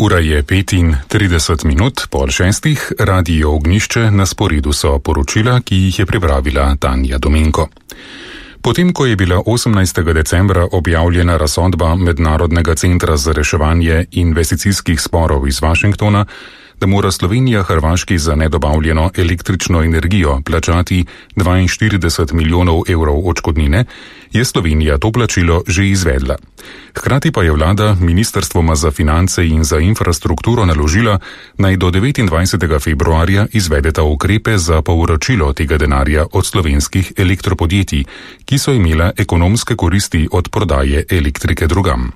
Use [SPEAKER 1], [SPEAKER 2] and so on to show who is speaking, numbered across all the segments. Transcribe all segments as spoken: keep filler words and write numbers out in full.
[SPEAKER 1] Ura je petintrideset minut, pol šestih, Radio Ognjišče, na sporedu so poročila, ki jih je pripravila Tanja Domenko. Potem, ko je bila osemnajstega decembra objavljena razsodba Mednarodnega centra za reševanje investicijskih sporov iz Washingtona, da mora Slovenija Hrvaški za nedobavljeno električno energijo plačati dvainštirideset milijonov evrov odškodnine, je Slovenija to plačilo že izvedla. Hkrati pa je vlada ministrstvoma za finance in za infrastrukturo naložila, naj do devetindvajsetega februarja izvedeta ukrepe za povračilo tega denarja od slovenskih elektropodjetij, ki so imela ekonomske koristi od prodaje elektrike drugam.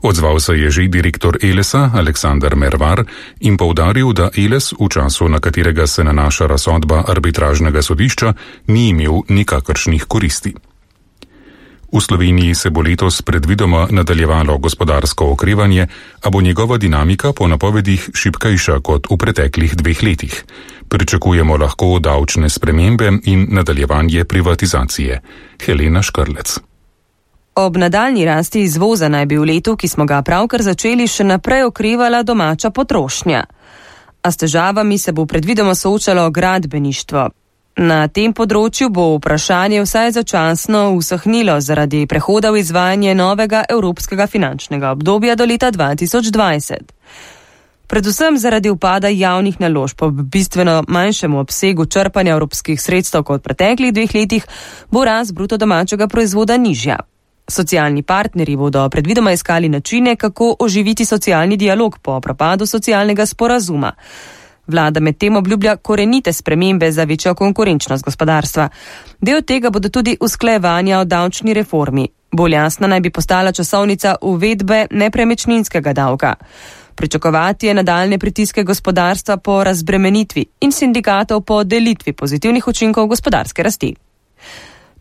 [SPEAKER 1] Odzval se je že direktor Elesa, Aleksandar Mervar, in poudaril, da Eles v času, na katerega se nanaša razsodba arbitražnega sodišča, ni imel nikakršnih koristi. V Sloveniji se bo letos predvidoma nadaljevalo gospodarsko okrevanje, a bo njegova dinamika po napovedih šibkejša kot v preteklih dveh letih. Pričakujemo lahko davčne spremembe in nadaljevanje privatizacije. Helena Škrlec.
[SPEAKER 2] Ob nadaljnji rasti izvoza naj bi v letu, ki smo ga pravkar začeli, še naprej okrevala domača potrošnja. A s težavami se bo predvidoma soočalo gradbeništvo. Na tem področju bo vprašanje vsaj začasno usahnilo zaradi prehoda v izvajanje novega evropskega finančnega obdobja do leta dva tisoč dvajset. Predvsem zaradi upada javnih naložb ob bistveno manjšemu obsegu črpanja evropskih sredstev kot v preteklih dveh letih bo rast bruto domačega proizvoda nižja. Socialni partnerji bodo predvidoma iskali načine, kako oživiti socialni dialog po propadu socialnega sporazuma. Vlada medtem obljublja korenite spremembe za večjo konkurenčnost gospodarstva. Del tega bodo tudi usklajevanja o davčni reformi. Bolj jasna naj bi postala časovnica uvedbe nepremičninskega davka. Pričakovati je nadaljne pritiske gospodarstva po razbremenitvi in sindikatov po delitvi pozitivnih učinkov gospodarske rasti.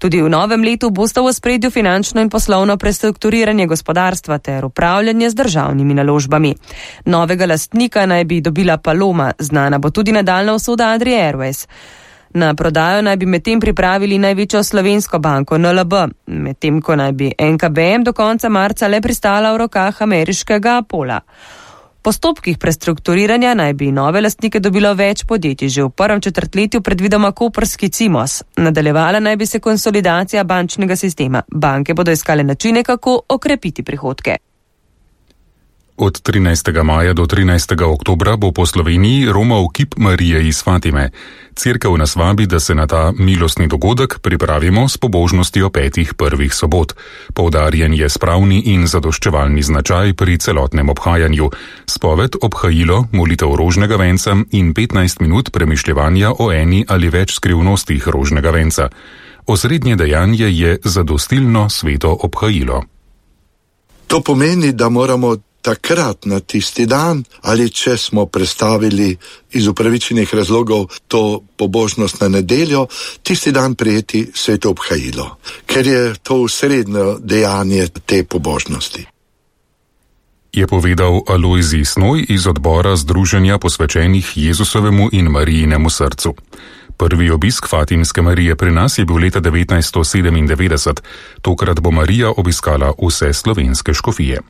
[SPEAKER 2] Tudi v novem letu bosta v ospredju finančno in poslovno prestrukturiranje gospodarstva ter upravljanje z državnimi naložbami. Novega lastnika naj bi dobila Paloma, znana bo tudi nadaljna usoda Adrie Airways. Na prodajo naj bi medtem pripravili največjo slovensko banko N L B, medtem ko naj bi N K B M do konca marca le pristala v rokah ameriškega Apola. V postopkih prestrukturiranja naj bi nove lastnike dobilo več podjetij, že v prvem četrtletju predvidoma koprski Cimos. Nadaljevala naj bi se konsolidacija bančnega sistema. Banke bodo iskale načine, kako okrepiti prihodke.
[SPEAKER 1] Od trinajstega maja do trinajstega oktobra bo po Sloveniji romal kip Marije iz Fatime. Cerkev nas vabi, da se na ta milostni dogodek pripravimo s pobožnostjo petih prvih sobot. Poudarjen je spravni in zadoščevalni značaj pri celotnem obhajanju. Spoved, obhajilo, molitev rožnega venca in petnajst minut premišljevanja o eni ali več skrivnostih rožnega venca. Osrednje dejanje je zadostilno sveto obhajilo.
[SPEAKER 3] To pomeni, da moramo takrat na tisti dan, ali če smo prestavili iz upravičenih razlogov to pobožnost na nedeljo, tisti dan prijeti sveto obhajilo, ker je to srednje dejanje te pobožnosti.
[SPEAKER 1] Je povedal Alojzij Snoj iz odbora Združenja posvečenih Jezusovemu in Marijinemu srcu. Prvi obisk Fatimske Marije pri nas je bil leta devetnajststo sedemindevetdeset, tokrat bo Marija obiskala vse slovenske škofije.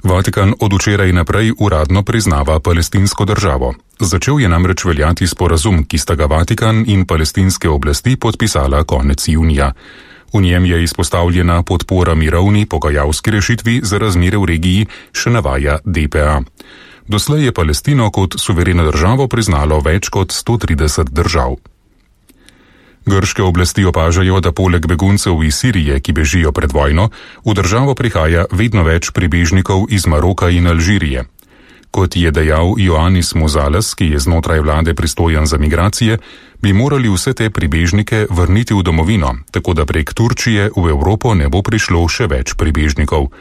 [SPEAKER 1] Vatikan od včeraj naprej uradno priznava palestinsko državo. Začel je namreč veljati sporazum, ki sta ga Vatikan in palestinske oblasti podpisala konec junija. V njem je izpostavljena podpora mirovni pogajalski rešitvi za razmere v regiji, še navaja D P A. Doslej je Palestino kot suvereno državo priznalo več kot sto trideset držav. Grške oblasti opažajo, da poleg beguncev iz Sirije, ki bežijo pred vojno, v državo prihaja vedno več pribežnikov iz Maroka in Alžirije. Kot je dejal Ioannis Mozales, ki je znotraj vlade pristojen za migracije, bi morali vse te pribežnike vrniti v domovino, tako da prek Turčije v Evropo ne bo prišlo še več pribežnikov.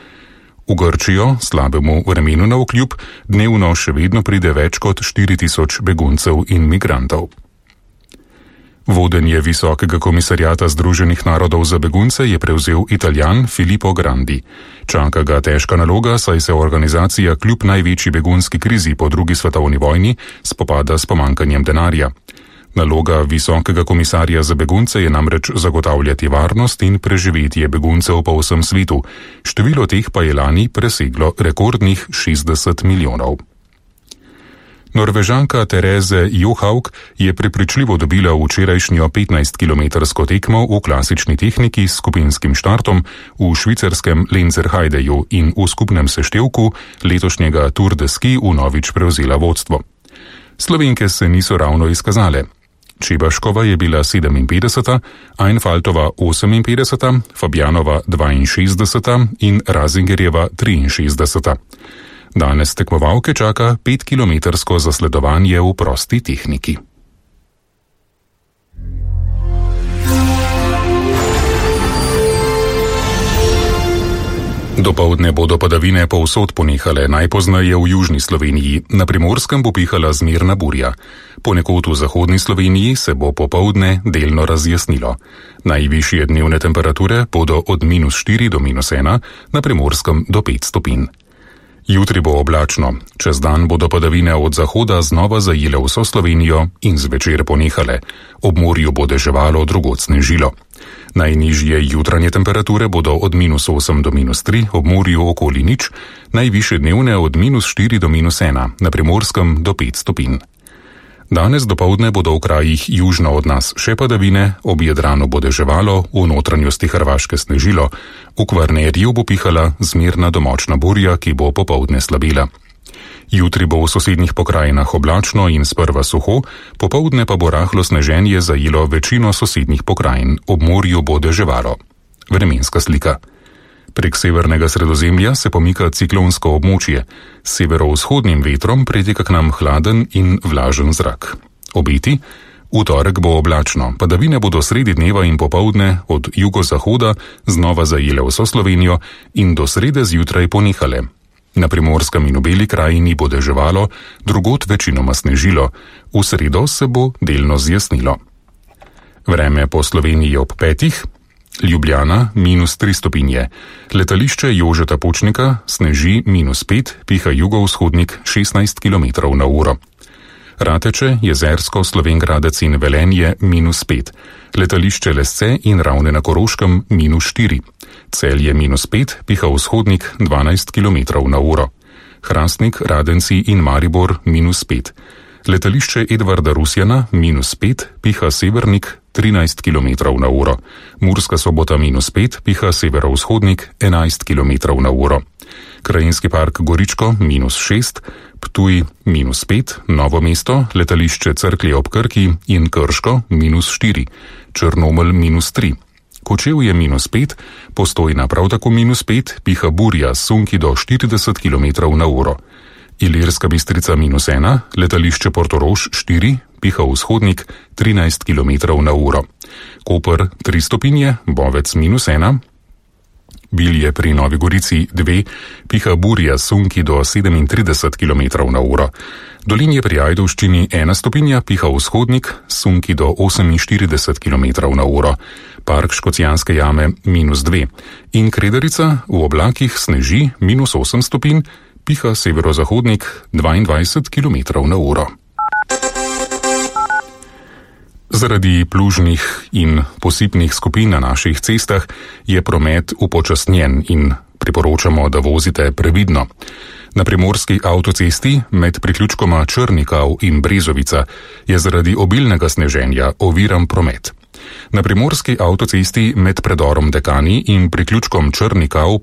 [SPEAKER 1] V Grčijo, slabemu vremenu navkljub, dnevno še vedno pride več kot štiri tisoč beguncev in migrantov. Vodenje Visokega komisarjata Združenih narodov za begunce je prevzel Italijan Filippo Grandi. Čaka ga težka naloga, saj se organizacija kljub največji begunski krizi po drugi svetovni vojni spopada s pomanjkanjem denarja. Naloga visokega komisarja za begunce je namreč zagotavljati varnost in preživetje beguncev po vsem svetu. Število teh pa je lani preseglo rekordnih šestdeset milijonov. Norvežanka Therese Johaug je prepričljivo dobila včerajšnjo petnajstkilometrsko tekmo v klasični tehniki s skupinskim štartom v švicarskem Lenzerheideju in v skupnem seštevku letošnjega Tour de Ski vnovič prevzela vodstvo. Slovenke se niso ravno izkazale. Čebaškova je bila sedeminpetdeseta, Einfaltova oseminpetdeseta, Fabjanova dvainšestdeseta in Razingerjeva triinšestdeseta. Danes tekmovalke čaka petkilometrsko zasledovanje v prosti tehniki. Dopoldne bodo padavine povsod ponehale, najpozneje v južni Sloveniji. Na Primorskem bo pihala zmerna burja. Ponekod v zahodni Sloveniji se bo popoldne delno razjasnilo. Najvišje dnevne temperature bodo od minus štiri do minus ena, na Primorskem do pet stopinj. Jutri bo oblačno, čez dan bodo padavine od zahoda znova zajele vso Slovenijo in zvečer ponehale. Ob morju bo deževalo, drugod snežilo. Najnižje jutranje temperature bodo od minus osem do minus tri, ob morju okoli nič, najvišje dnevne od minus štiri do minus ena, na Primorskem do pet stopinj. Danes dopoldne bodo v krajih južno od nas še padavine, ob Jadranu bo deževalo, v notranjosti Hrvaške snežilo, v Kvarnerju bo pihala zmerna do močna burja, ki bo popoldne slabila. Jutri bo v sosednjih pokrajinah oblačno in sprva suho, popoldne pa bo rahlo sneženje zajelo večino sosednjih pokrajin, ob morju bo deževalo. Vremenska slika. Prek severnega Sredozemlja se pomika ciklonsko območje. S severovzhodnim vetrom priteka k nam hladen in vlažen zrak. Obeti? V torek bo oblačno, padavine bodo sredi dneva in popoldne od jugozahoda znova zajele vso Slovenijo in do srede zjutraj ponehale. Na Primorskem in v Beli krajini bo deževalo, drugod večinoma snežilo, v sredo se bo delno zjasnilo. Vreme po Sloveniji ob petih. Ljubljana minus tri stopinje, letališče Jožeta Pučnika sneži minus pet, piha jugovzhodnik šestnajst kilometrov na uro. Rateče, Jezersko, Slovenj Gradec in Velenje minus pet, letališče Lesce in Ravne na Koroškem minus štiri, Celje minus pet, piha vzhodnik dvanajst kilometrov na uro. Hrastnik, Radenci in Maribor minus pet, letališče Edvarda Rusjana minus pet, piha severnik trinajst kilometrov na uro. Murska Sobota minus pet, piha severovzhodnik enajst kilometrov na uro. Krajinski park Goričko minus šest, Ptuj minus pet, Novo mesto, letališče Cerklje ob Krki in Krško minus štiri, Črnomelj minus tri. Kočevje minus pet, Postojna prav tako minus pet, piha burja sunki do štirideset kilometrov na uro. Ilirska Bistrica minus ena, letališče Portorož štiri, piha vzhodnik trinajst kilometrov na uro. Koper tri stopinje, Bovec minus ena. Bilje pri Novi Gorici dve, piha burja sunki do sedemintrideset kilometrov na uro. Dolinje pri Ajdovščini ena stopinja, piha vzhodnik sunki do oseminštirideset kilometrov na uro. Park Škocjanske jame minus dve. In Kredarica v oblakih sneži minus osem stopinj, piha severozahodnik dvaindvajset kilometrov na uro. Zaradi plužnih in posipnih skupin na naših cestah je promet upočasnjen in priporočamo, da vozite previdno. Na primorski avtocesti med priključkoma Črnikav in Brezovica je zaradi obilnega sneženja oviran promet. Na primorski avtocesti med predorom Dekani in priključkom Črnikav